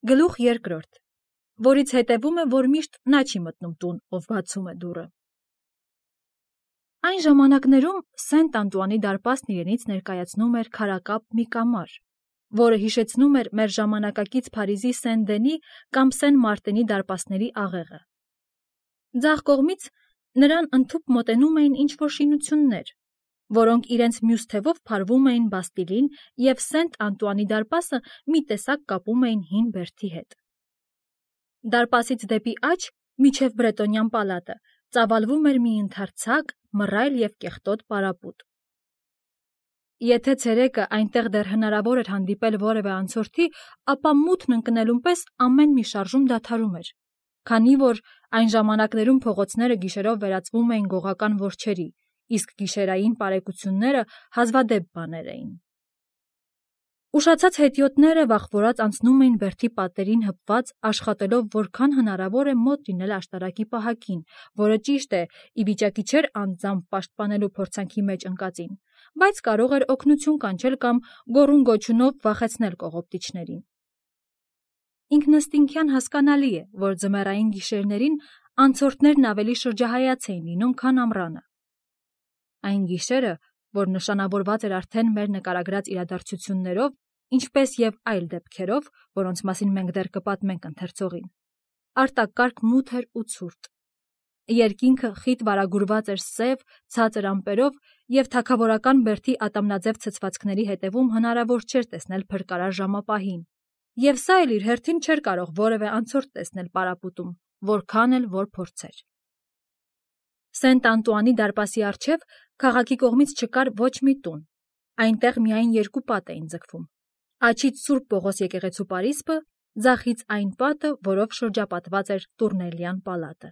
Գլուխ երկրորդ, որից հետևում է, որ միշտ նա չի մտնում տուն, ով բացում է դուռը։ Այն ժամանակներում Սենտ Անտուանի դարպասն իրենից ներկայացնում էր քարակապ մի կամար, որը հիշեցնում էր մեր ժամանակակից Փարիզի Սեն-Դենի կամ Սեն Մարտենի դարպասների աղեղը։ Ձախ կողմից նրան ընդհուպ մոտենում էին ինչ-որ շինություններ, որոնք իրենց մյուս թևով փարվում էին Բաստիլին և Սենտ Անտուանի դարպասը մի տեսակ կապում էին հին բերդի հետ։ Դարպասից դեպի աջ, մինչև Բրետոնյան պալատը, ծավալվում էր մի ընդարձակ, մռայլ և կեղտոտ պարապուտ։ Եթե ցերեկը այնտեղ դեռ հնարավոր էր հանդիպել որևէ անցորդի, ապա մութն ընկնելուն պես ամեն մի շարժում դադարում էր, քանի որ այն ժամանակներում փողոցները գիշերով վերածվում էին գողական որջերի, իսկ գիշերային պարեկությունները հազվադեպ բաներ էին։ Ուշացած հետիոտները վախվորած անցնում էին բերդի պատերին հպված, աշխատելով որքան հնարավոր է մոտ լինել աշտարակի պահակին, որը ճիշտ է, ի վիճակի չէր անձամբ պաշտպանելու փորձանքի մեջ ընկածին, բայց կարող էր օգնություն կանչել կամ գոռում-գոչյունով վախեցնել կողոպտիչներին։ Ինքնըստինքյան հասկանալի է, որ ձմեռային գիշերներին անցորդներն ավելի շրջահայաց էին լինում, քան ամռանը։ Այն գիշերը, որ նշանավորված էր արդեն մեր նկարագրած իրադարձություններով, ինչպես և այլ դեպքերով, որոնց մասին մենք դեռ կպատմենք ընթերցողին, արտակարգ մութ էր ու ցուրտ։ Երկինքը խիտ վարագուրված էր սև, ցածր ամպերով և թագավորական բերդի ատամնաձև ցցվածքների հետևում հնարավոր չէր տեսնել փրկարար ժամապահին, և սա էլ իր հերթին չէր կարող որևէ անցորդ տեսնել պարապուտում, որքան էլ որ փորձեր։ Սենտ Անտուանի դարպասի առջև քաղաքի կողմից չկար ոչ մի տուն, այնտեղ միայն երկու պատ էին ձգվում, աջից Սուրբ Պողոս եկեղեցու պարիսպը, ձախից այն պատը, որով շրջապատված էր Տուրնելյան պալատը։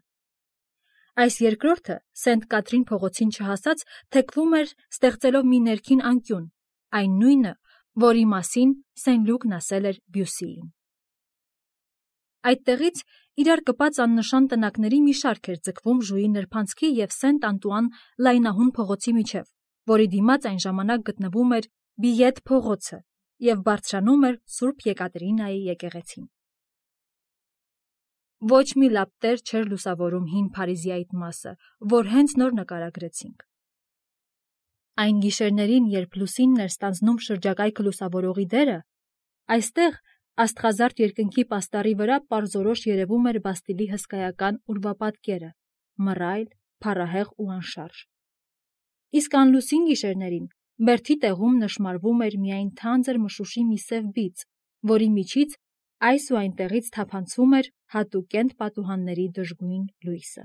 Այս երկրորդը Սենտ Կաթրին փողոցին չհասած թեքվում էր, ստեղծելով մի ներքին անկյուն, այն նույնը, որի մասին Սեն Լուկն ասել էր Բյուսիին։ Այդտեղից իրար կպած աննշան տնակների մի շարք էր ձգվում Ժուի նրբանցքի և Սենտ Անտուան լայնահուն փողոցի միջև, որի դիմաց այն ժամանակ գտնվում էր Բիետ փողոցը և բարձրանում էր Սուրբ Եկատերինայի եկեղեցին։ Ոչ մի լապտեր չէր լուսավորում հին Փարիզի այդ մասը, որ հենց նոր նկարագրեցինք։ Այն գիշերներին, երբ լուսինն էր ստանձնում շրջակայքը լուսավորողի դերը, այստեղ աստղազարդ երկնքի պաստառի վրա պարզորոշ երևում էր Բաստիլի հսկայական ուրվապատկերը, մռայլ, փառահեղ ու անշարժ։ Իսկ անլուսին գիշերներին բերդի տեղում նշմարվում էր միայն թանձր մշուշի մի սև բիծ, որի միջից այս ու այնտեղից թափանցում էր հատուկենտ պատուհանների դժգույն լույսը։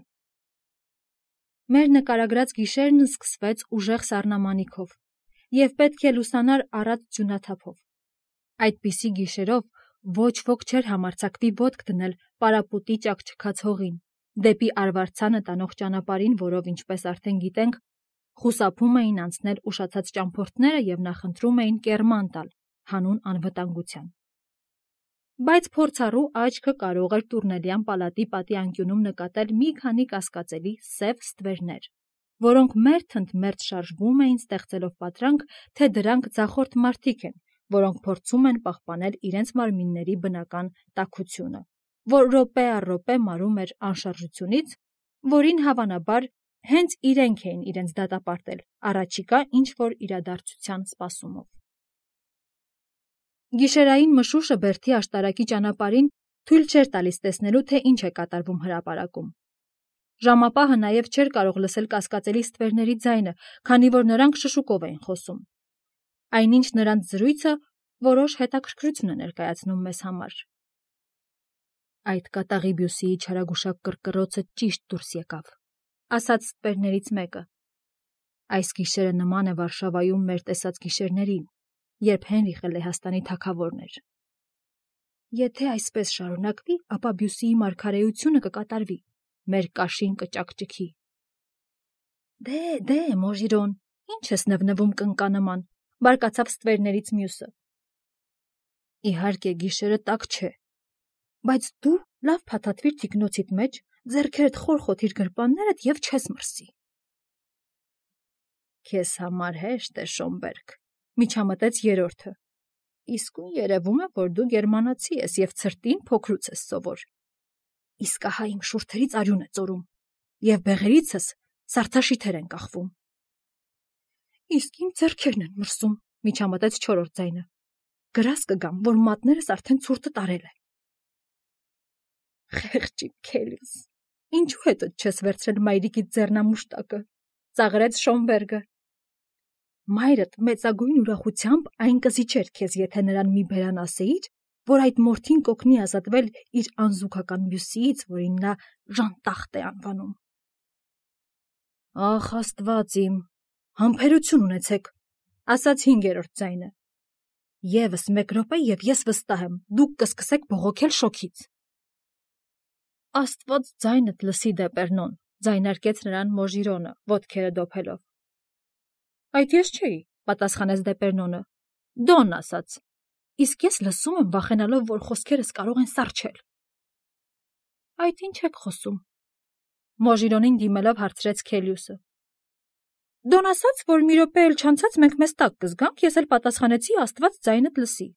Մեր նկարագրած գիշերն սկսվեց ուժեղ սառնամանիքով և պետք է լուսանար առատ ձյունաթափով։ Այդպիսի գիշերով ոչ ոք չէր համարձակվի ոտք դնել պարապուտի ճաքճքած հողին, դեպի արվարձանը տանող ճանապարհին, որով, ինչպես արդեն գիտենք, խուսափում էին անցնել ուշացած ճամփորդները և նախընտրում էին կեռման տալ, հանուն անվտանգության։ Բայց փորձառու աչքը կարող էր Տուրնելյան պալատի պատի անկյունում նկատել մի քանի կասկածելի սև ստվերներ, որոնք մերթ-ընդ-մերթ շարժվում էին, ստեղծելով պատրանք, թե դրանք ձախորդ մարդիկ են, որոնք փորձում են պահպանել իրենց մարմինների բնական տաքությունը, որ րոպե առ րոպե մարում էր անշարժությունից, որին հավանաբար հենց իրենք էին իրենց դատապարտել առաջիկա ինչ-որ իրադարձության սպասումով։ Գիշերային մշուշը բերդի աշտարակի ճանապարհին թույլ չէր տալիս տեսնելու, թե ինչ է կատարվում հրապարակում։ Ժամապահը նաև չէր կարող լսել կասկածելի ստվերների ձայնը, քանի որ նրանք շշուկով էին խոսում։ Այնինչ նրանց զրույցը որոշ հետաքրքրություն է ներկայացնում մեզ համար։ Այդ կատաղի Բյուսիի չարագուշակ կռկռոցը ճիշտ դուրս եկավ, ասաց ստվերներից մեկը։ Այս գիշերը նման է Վարշավայում մեր տեսած գիշերներին, երբ Հենրիխը Լեհաստանի թագավորն էր։ Եթե այսպես շարունակվի, ապա Բյուսիի մարգարեությունը կկատարվի, մեր կաշին կճաքճքի։ Դե, Մոժիրոն, ինչ ես նվնվում կնկանման, բարկացավ ստվերներից մյուսը։ Իհարկե գիշերը տաք չէ, բայց դու լավ փաթաթվիր թիկնոցիդ մեջ, ձեռքերդ խոր խոթիր գրպաններդ և չես մրսի։ Քեզ համար հեշտ է, Շոմբերգ, միջամտեց երրորդը։ Իսկույն երևում է, որ դու գերմանացի ես և ցրտին փոքրուց ես սովոր։ Իսկ ահա իմ շուրթերից արյուն է ծորում, և բեղերիցս սարդաշիթեր են կախվում։ Իսկ իմ ձեռքերն են մրսում, միջամտեց չորրորդ ձայնը։ Գրազ կգամ, որ մատներս արդեն ցուրտը տարել է։ Խեղճ իմ Քելիոս, ինչու հետդ չես վերցրել մայրիկիդ ձեռնամուշտակը, ծաղրեց Շոնբերգը։ Մայրդ մեծագույն ուրախությամբ այն կզիջեր քեզ, եթե նրան մի բերան ասեիր, որ այդ մորթին կօգնի ազատվել իր անզուգական մյուսից, որին նա Ժանտախտ է անվանում։ Ախ, Աստված իմ, համբերություն ունեցեք, ասաց հինգերորդ ձայնը։ Եվս մեկ րոպե և ես վստահ եմ, դուք կսկսեք բողոքել շոքից։ Աստված ձայնդ լսի Դեպերնոն, ձայնարկեց նրան Մոժիրոնը, ոտքերը դոփելով։ Այդ ես չէի, պատասխանեց Դեպերնոնը, Դոն ասաց, իսկ ես լսում եմ վախենալով, որ խոսքերս կարող են սառչել։ Այդ ինչ եք խոսում։ Մոժիրոնին դիմելով հարցրեց Քելիուսը։ Դոն ասաց, որ մի րոպե էլ չանցած մենք մեզ տակ կզգանք, ես էլ պատասխանեցի Աստված ձայնդ լսի։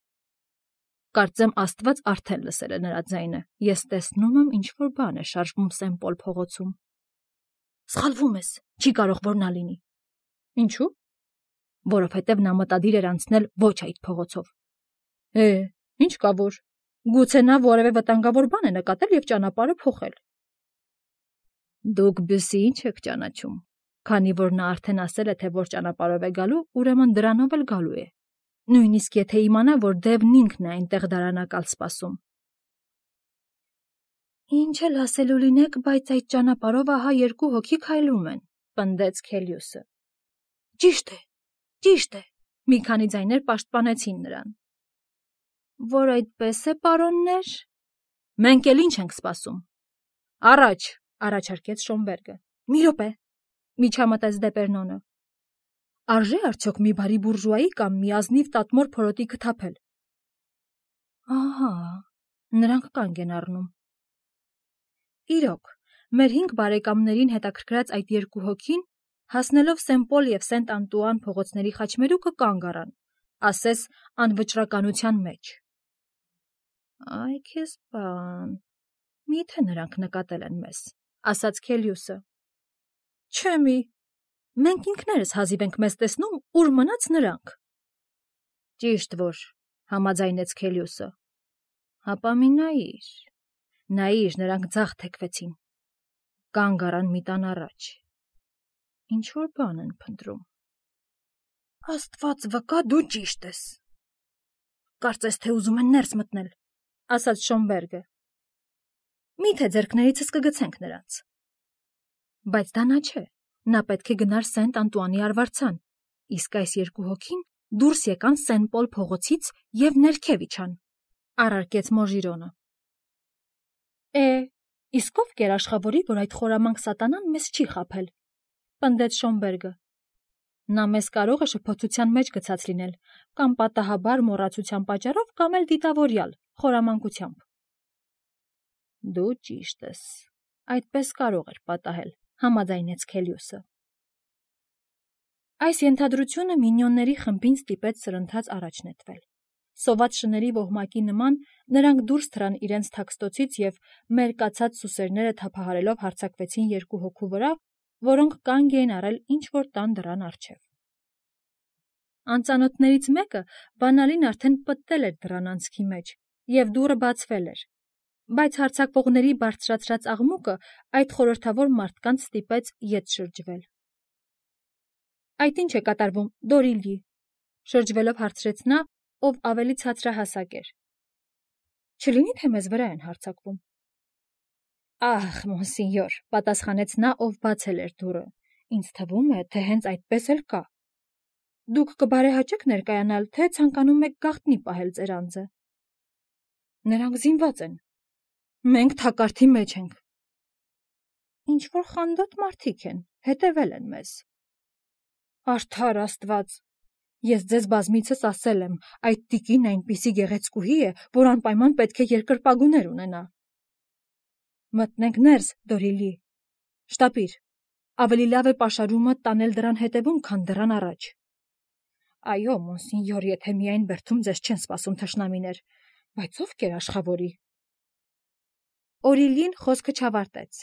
Կարծեմ Աստված արդեն լսել է նրա ձայնը, ես տեսնում եմ ինչ-որ բան է շարժվում Սեն-Պոլ փողոցում։ Սխալվում ես, չի կարող որ նա լինի։ Ինչու՞։ Որովհետև նա մտադիր էր անցնել ոչ այդ փողոցով։ Ինչ կա որ։ Գուցե նա որևէ վտանգավոր բան է նկատել և ճանապարհը փոխել։ Դուք Բյուսի ինչ եք ճանաչում, քանի որ նա արդեն ասել է, թե որ ճանապարհով է գալու, ուրեմն դրանով էլ գալու է։ Նույնիսկ եթե իմանա, որ Դևն ինքն է այնտեղ դարանակալ սպասում։ Ինչ էլ ասելու լինեք, բայց այդ ճանապարհով ահա երկու հոգի քայլում են, պնդեց Քելիուսը։ Ճիշտ է, մի քանի ձայներ պաշտպանեցին նրան։ Որ այդպես է, պարոններ։ Մենք էլ ինչ ենք սպասում։ Առաջարկեց Շոնբերգը։ Մի րոպե, միջամտեց Դեպերնոնը։ Արժե արդյոք մի բարի բուրժուայի կամ մի ազնիվ տատմոր փորոտիքը թափել։ Ահա, նրանք կանգ են առնում։ Իրոք, մեր 5 բարեկամներին հետաքրքրած այդ երկու հոգին, հասնելով Սեն-Պոլ և Սենտ-Անտուան փողոցների խաչմերուկը կանգ առան, ասես անվճռականության մեջ։ Այ քեզ բան, միթե նրանք նկատել են մեզ, ասաց Քելիուսը։ Չէ մի, մենք ինքներս հազիվ ենք մեզ տեսնում, ուր մնաց նրանք։ Ճիշտ որ, համաձայնեց Քելիուսը։ Հապա մի նայիր, նրանք ձախ թեքվեցին, կանգ առան մի տան առաջ, ինչ-որ բան են փնտրում։ Աստված վկա, դու ճիշտ ես։ Կարծես թե ուզում են ներս մտնել, ասաց Շոնբերգը։ Միթե ձեռքներիցս կգցենք նրանց։ Բայց դա նա չէ, նա պետք է գնար Սենտ-Անտուանի արվարձան, իսկ այս երկու հոգին դուրս եկան Սեն-Պոլ փողոցից և ներքև իջան, առարկեց Մոժիրոնը։ Իսկ ով կերաշխավորի, որ այդ խորամանկ սատանան մեզ չի խաբել, պնդեց Շոնբերգը։ Նա մեզ կարող է շփոթության մեջ գցած լինել, կամ պատահաբար մոռացության պատճառով, կամ էլ դիտավորյալ, խորամանկությամբ։ Դու ճիշտ ես, այդպես կարող էր պատահել, համաձայնեց Քելիուսը։ Այս ենթադրությունը մինյոնների խմբին ստիպեց սրընթաց առաջ նետվել։ Սոված շների ոհմակի նման նրանք դուրս թռան իրենց թաքստոցից և մերկացած սուսերները թափահարելով հարձակվեցին երկու հոգու վրա, որոնք կանգ էին առել ինչ-որ տան դռան առջև։ Անծանոթներից մեկը բանալին արդեն պտտել էր դռան անցքի մեջ, և դուռը բացվել էր, բայց հարձակվողների բարձրացրած աղմուկը այդ խորհրդավոր մարդկանց ստիպեց ետ շրջվել։ Այդ ինչ է կատարվում, Դորիլի, շրջվելով հարցրեց նա, ով ավելի ցածրահասակ էր։ Չլինի թե մեզ վրա են հարձակվում։ Ահ, մոնսինյոր, պատասխանեց նա, ով բացել էր դուռը, ինձ թվում է, թե հենց այդպես էլ կա։ Դուք կբարեհաճեք ներկայանալ, թե ցանկանում եք գաղտնի պահել ձեր անձը։ Նրանք զինված են։ Մենք թակարդի մեջ ենք։ Ինչ-որ խանդոտ մարդիկ են, հետևել են մեզ։ Արդար Աստված, ես ձեզ բազմիցս ասել եմ, այդ տիկին այնպիսի գեղեցկուհի է, որ անպայման պետք է երկրպագուներ ունենա։ Մտնենք ներս, Դորիլի։ Շտապիր, ավելի լավ է պաշարումը տանել դռան հետևում, քան դռան առաջ։ Այո, մոնսինյոր, եթե միայն բերդում ձեզ չեն սպասում թշնամիներ, բայց ովքեր աշխավորի։ Օրիլին խոսքը չավարտեց։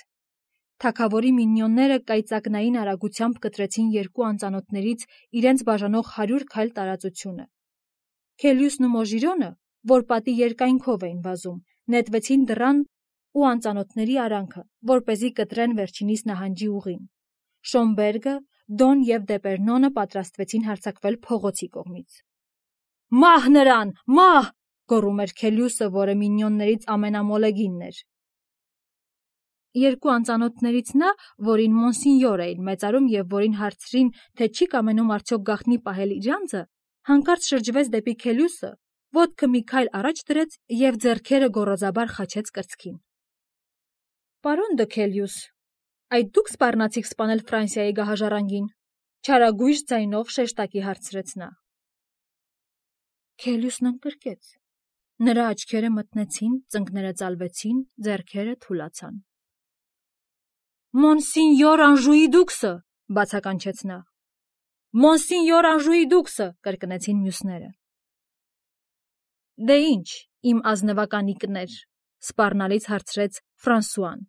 Թագավորի մինյոնները կայծակնային արագությամբ կտրեցին երկու անծանոթներից իրենց բաժանող 100 քայլ տարածությունը։ Քելիուսն ու Մոժիրոնը, որ պատի երկայնքով էին վազում, նետվեցին դռան ու անծանոթների արանքը, որպեսզի կտրեն վերջինիս նահանջի ուղին։ Շոմբերգը, Դոն և Դեպերնոնը պատրաստվեցին հարձակվել փողոցի կողմից։ «Մահ նրան, մահ!» գոռում էր Քելիուսը, որը մինյոններից ամենամոլեգինն էր։ Երկու անծանոթներից նա, որին մոնսինյոր էին մեծարում և որին հարցրին, թե չի կամենում արդյոք գաղտնի պահել իր անձը, հանկարծ շրջվեց դեպի Քելիուսը, ոտքը մի քայլ առաջ դրեց և ձեռքերը գոռոզաբար խաչեց կրծքին։ «Պարոն դը Քելիուս, այդ դուք սպառնացիք սպանել Ֆրանսիայի գահաժառանգին», չարագույժ ձայնով շեշտակի հարցրեց նա։ Քելիուսն ընկրկեց։ Նրա աչքերը մթնեցին, ծնկները ծալվեցին, ձեռքերը թուլացան։ «Մոնսինյոր Անժուի դուքսը», բացականչեց նա։ «Մոնսինյոր Անժուի դուքսը», կրկնեցին մյուսները։ Դե ինչ, իմ ազնվականիկներ, սպառնալից հարցրեց Ֆրանսուան։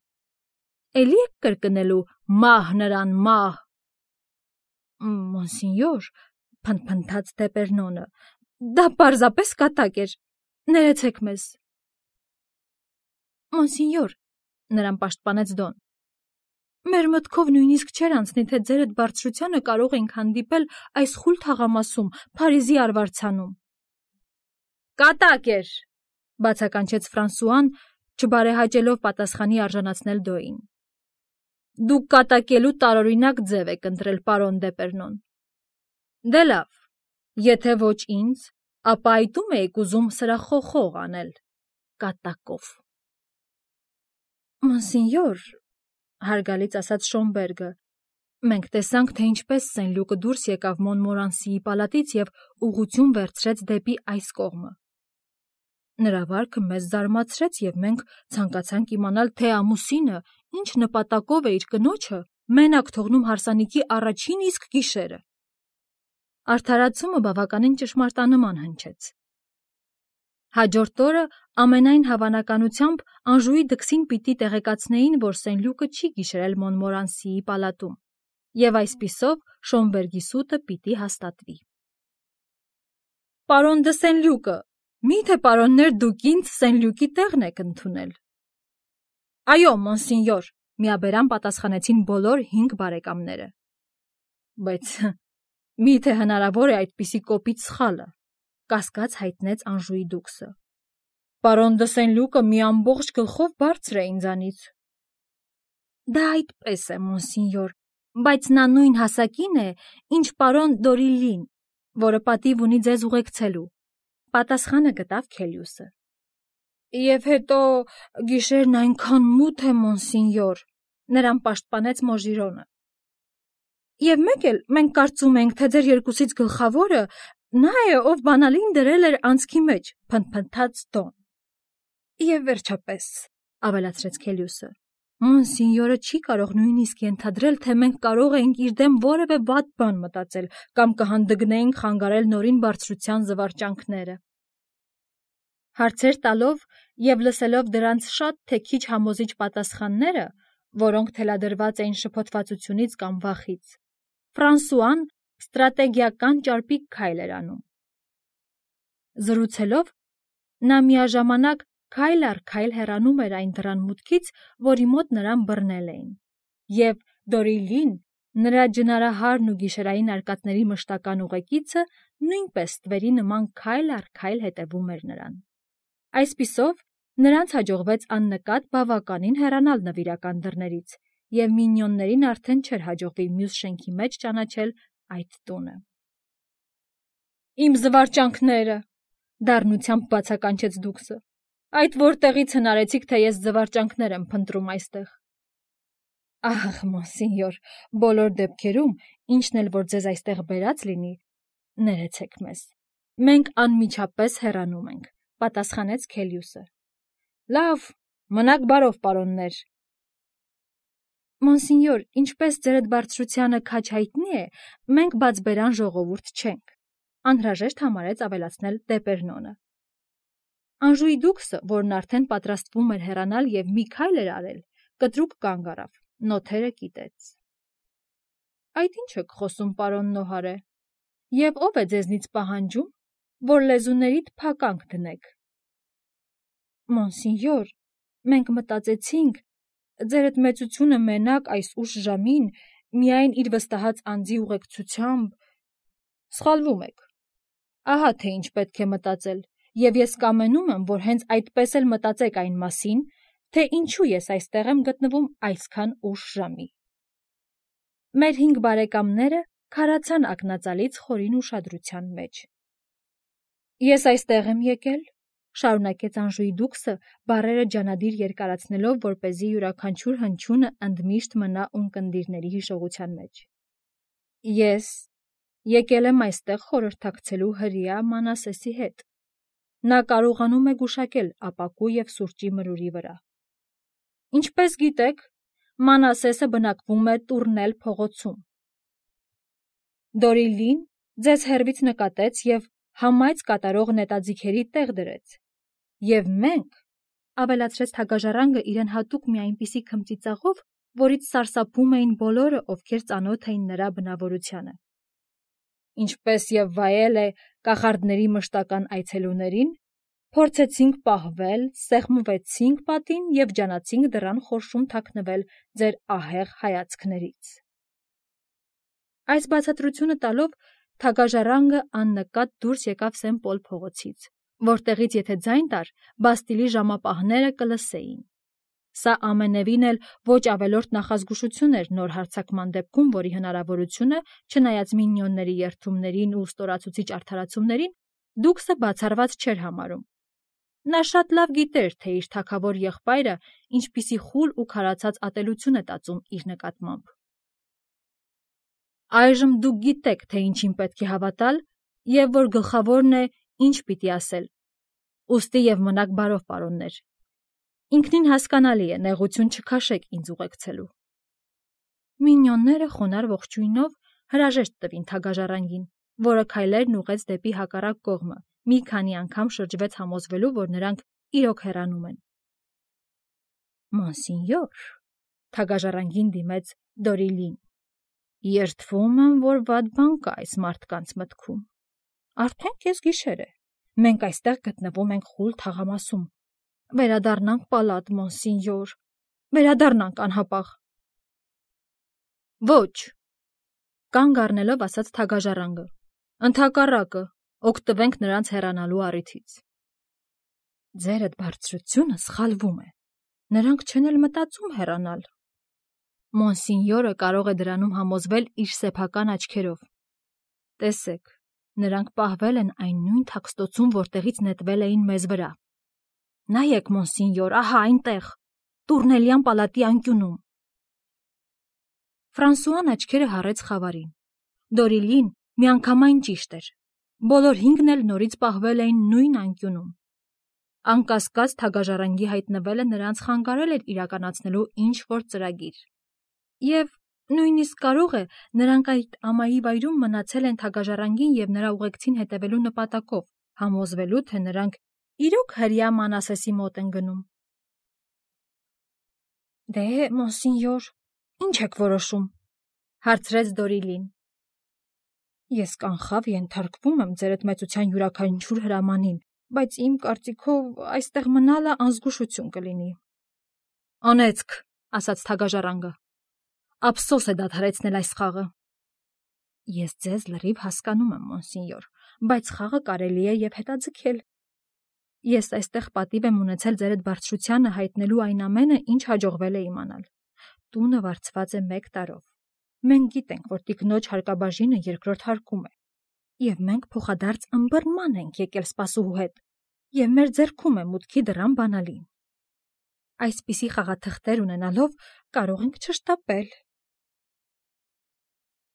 Էլի եք կրկնելու մահ նրան, մահ։ Մոնսինյոր, փնթփնթաց Դեպերնոնը, դա պարզապես կատակ էր, ներեցեք մեզ։ Մոնսինյոր, նրան պաշտպանեց Դոն, մեր մտքով նույնիսկ չէր անցնի, թե ձերդ բարձրությանը կարող ենք հանդիպել այս խուլ թաղամասում, Փարիզի արվարձանում։ Կատակ էր, բացականչեց Ֆրանսուան, չբարեհաճելով պատասխանի արժանացնել Դոյին։ Դուք կատակելու տարօրինակ ձև եք ընտրել, պարոն Դեպերնոն։ Դե լավ, եթե ոչ ինձ, ապա այդում եք ուզում սրախոխող անել կատակով։ Մոնսինյոր, հարգալից ասաց Շոմբերգը, մենք տեսանք, թե ինչպես Սեն-Լյուկը դուրս եկավ Մոնմորանսիի պալատից և ուղղություն վերցրեց դեպի այս կողմը։ Նրա վարքը մեզ զարմացրեց, և մենք ցանկացանք իմանալ, թե ամուսինը ինչ նպատակով է իր կնոջը մենակ թողնում հարսանիքի առաջին իսկ գիշերը։ Արդարացումը բավականին ճշմարտանման հնչեց։ Հաջորդ օրը ամենայն հավանականությամբ Անժուի դքսին պիտի տեղեկացնեին, որ Սեն-Լյուկը չի գիշերել Մոնմորանսիի պալատում, և այսպիսով Շոմբերգի սուտը պիտի հաստատվի։ Պարոն դը Սեն-Լյուկը, մի՞թե պարոններ դուք ինձ Սեն-Լյուկի տեղն եք ընդունել։ Այո, մոնսինյոր, միաբերան պատասխանեցին բոլոր 5 բարեկամները։ Բայց մի՞թե հնարավոր է այդպիսի կոպիտ սխալը, կասկած հայտնեց Անժուի դուքսը։ Պարոն դը Սեն-Լյուկը մի ամբողջ գլխով բարձր է ինձանից։ Դա այդպես է, մոնսինյոր, բայց նա նույն հասակին է, ինչ պարոն Դորիլին, որը պատիվ ունի ձեզ ուղեկցելու, պատասխանը գտավ Քելիուսը։ Եվ հետո գիշերն այնքան մութ է, մոնսինյոր, նրան պաշտպանեց Մոժիրոնը։ Եվ մեկ էլ մենք կարծում ենք, թե ձեր երկուսից գլխավորը նա է, ով բանալին դրել էր անցքի մեջ, փնթփնթաց Դոն։ Եվ վերջապես, ավելացրեց Քելիուսը, մոնսինյորը չի կարող նույնիսկ ենթադրել, թե մենք կարող ենք իր դեմ որևէ վատ բան մտածել կամ կհանդգնեինք խանգարել նորին բարձրության զվարճանքները։ Հարցեր տալով և լսելով դրանց շատ թե քիչ համոզիչ պատասխանները, որոնք թելադրված էին շփոթվածությունից կամ վախից, Ֆրանսուան ստրատեգիական ճարպիկ քայլ էր անում։ Զրուցելով, նա միաժամանակ քայլ առ քայլ հեռանում էր այն դռան մուտքից, որի մոտ նրան բռնել էին, և Դորիլին, նրա ջնարահարն ու գիշերային արկածների մշտական ուղեկիցը, նույնպես ստվերի նման քայլ առ քայլ հետևում էր նրան։ Այսպիսով, նրանց հաջողվեց աննկատ բավականին հեռանալ նվիրական դռներից, և մինյոններին արդեն չէր հաջողվի մյուս շենքի մեջ ճանաչել այդ տունը։ Իմ զվարճանքները, դառնությամբ բացականչեց դուքսը, այդ որտեղից հնարեցիք, թե ես զվարճանքներ եմ փնտրում այստեղ։ Ահ, մոնսինյոր, բոլոր դեպքերում, ինչն էլ որ ձեզ այստեղ բերած լինի, ներեցեք մեզ։ Մենք անմիջապես հեռանում ենք, պատասխանեց Քելիուսը։ Լավ, մնաք բարով, պարոններ։ Մոնսինյոր, ինչպես ձերդ բարձրությանը քաջ հայտնի է, մենք բացբերան ժողովուրդ չենք։ Անհրաժեշտ համարեց ավելացնել Դեպերնոնը։ Անժուի դուքսը, որն արդեն պատրաստվում էր հեռանալ եւ մի քայլ էր արել, կտրուկ կանգ առավ, նոթերը կիտեց։ Այդ ինչ եք խոսում, պարոն Նոհարե, եւ ով է ձեզնից պահանջում, որ լեզուներիդ փականք դնեք։ Մոնսինյոր, մենք մտածեցինք, ձերդ մեծությունը մենակ այս ուշ ժամին միայն իր վստահած անձի ուղեկցությամբ սխալվում եք։ Ահա թե ինչ պետք է մտածել, եւ ես կամենում եմ, որ հենց այդպես էլ մտածեք այն մասին, թե ինչու ես այստեղ եմ գտնվում այսքան ուշ ժամի։ Մեր 5 բարեկամները քարացան ակնածալից խորին ուշադրության մեջ։ Ես այստեղ եմ եկել, շարունակեց Անժուի դուքսը, բառերը ջանադիր երկարացնելով, որպեսզի յուրաքանչյուր հնչյունը ընդմիշտ մնա ունկնդիրների հիշողության մեջ։ Ես եկել եմ այստեղ խորհրդակցելու հրեա Մանասեսի հետ։ Նա կարողանում է գուշակել ապակու եւ սուրճի մրուրի վրա։ Ինչպես գիտեք, Մանասեսը բնակվում է Տուրնել փողոցում։ Դորիլին ձեզ հեռվից նկատեց եւ համայց կատարող նետաձիգերի տեղ դրեց։ Եվ մենք, ավելացրեց Թագաժառանգը իրեն հատուկ մի այնպիսի քմծիծաղով, որից սարսափում էին բոլորը, ովքեր ծանոթ էին նրա բնավորությանը։ Ինչպես եւ վայել է կախարդների մշտական այցելուներին, փորձեցինք պահվել, սեղմվեցինք պատին եւ ջանացինք դռան խորշում թաքնվել ձեր ահեղ հայացքներից։ Այս բացատրությունը տալով Թագաժառանգը աննկատ դուրս եկավ Սեն-Պոլ փողոցից, որտեղից եթե ձայն տար, Բաստիլի ժամապահները կլսեին։ Սա ամենևին էլ ոչ ավելորդ նախազգուշություն էր նոր հարձակման դեպքում, որի հնարավորությունը, չնայած մինյոնների երդումներին ու ստորացուցիչ արդարացումներին, դուքսը բացառված չէր համարում։ Նա շատ լավ գիտեր, թե իր թագավոր եղբայրը ինչպիսի խուլ ու քարացած ատելություն է տածում իր նկատմամբ։ Այժմ դուք գիտեք, թե ինչին պետք է հավատալ, եւ որ գլխավորն է ինչ պիտի ասել։ Ուստի եւ մնաք բարով, պարոններ։ Ինքնին հասկանալի է, նեղություն չքաշեք ինձ ուղեկցելու։ Մինյոնները խոնար ողջույնով հրաժեշտ տվին Թագաժառանգին, որը քայլերն ուղեց դեպի հակառակ կողմը, մի քանի անգամ շրջվեց համոզվելու, որ նրանք իրոք հեռանում են։ Մոնսինյոր, Թագաժառանգին դիմեց Դորիլին, երդվում եմ, որ վատ բան կա այս մարդկանց մտքում։ Արդեն կես գիշեր է։ Մենք այստեղ գտնվում ենք խուլ թաղամասում։ Վերադառնանք պալատ, մոնսինյոր, վերադառնանք անհապաղ։ Ոչ, կանգ առնելով ասաց Թագաժառանգը, ընդհակառակը, օգտվենք նրանց հեռանալու առիթից։ Ձերդ բարձրությունը սխալվում է, նրանք չեն էլ մտածում հեռանալ։ Մոնսինյորը կարող է դրանում համոզվել իր սեփական աչքերով։ Տեսեք, նրանք պահվել են այն նույն թաքստոցում, որտեղից նետվել էին մեզ վրա։ Նայեք, մոնսինյոր, ահա այնտեղ, Տուրնելյան պալատի անկյունում։ Ֆրանսուան աչքերը հառեց խավարին։ Դորիլին միանգամայն ճիշտ էր։ Բոլոր 5-ն էլ նորից պահվել էին նույն անկյունում։ Անկասկած Թագաժառանգի հայտնվելը նրանց խանգարել էր իրականացնելու ինչ-որ ծրագիր։ Եվ նույնիսկ կարող է նրանք այդ ամայի վայրում մնացել են Թագաժառանգին եւ նրա ուղեկցին հետևելու նպատակով, համոզվելու, թե նրանք իրոք հրեա Մանասեսի մոտ են գնում։ Դե, մոնսինյոր, ինչ եք որոշում, հարցրեց Դորիլին։ Ես կանխավ ենթարկվում եմ ձերդ մեծության յուրաքանչյուր հրամանին, բայց իմ կարծիքով այստեղ մնալը անզգուշություն կլինի։ Անեծք, ասաց Թագաժառանգը։ Ափսոս է դադարեցնել այս խաղը։ Ես ձեզ լրիվ հասկանում եմ, մոնսինյոր, բայց խաղը կարելի է եւ հետաձգել։ Ես այստեղ պատիվ եմ ունեցել ձերդ բարձրությանը հայտնելու այն ամենը, ինչ հաջողվել է իմանալ։ Տունը վարձված է 1 տարով։ Մենք գիտենք, որ տիկնոջ հարկաբաժինը երկրորդ հարկում է, եւ մենք փոխադարձ ըմբռնման ենք եկել սպասուհու հետ, եւ մեր ձեռքում է մուտքի դռան բանալին։ Այսպիսի խաղաթղթեր ունենալով կարող ենք չշտապել։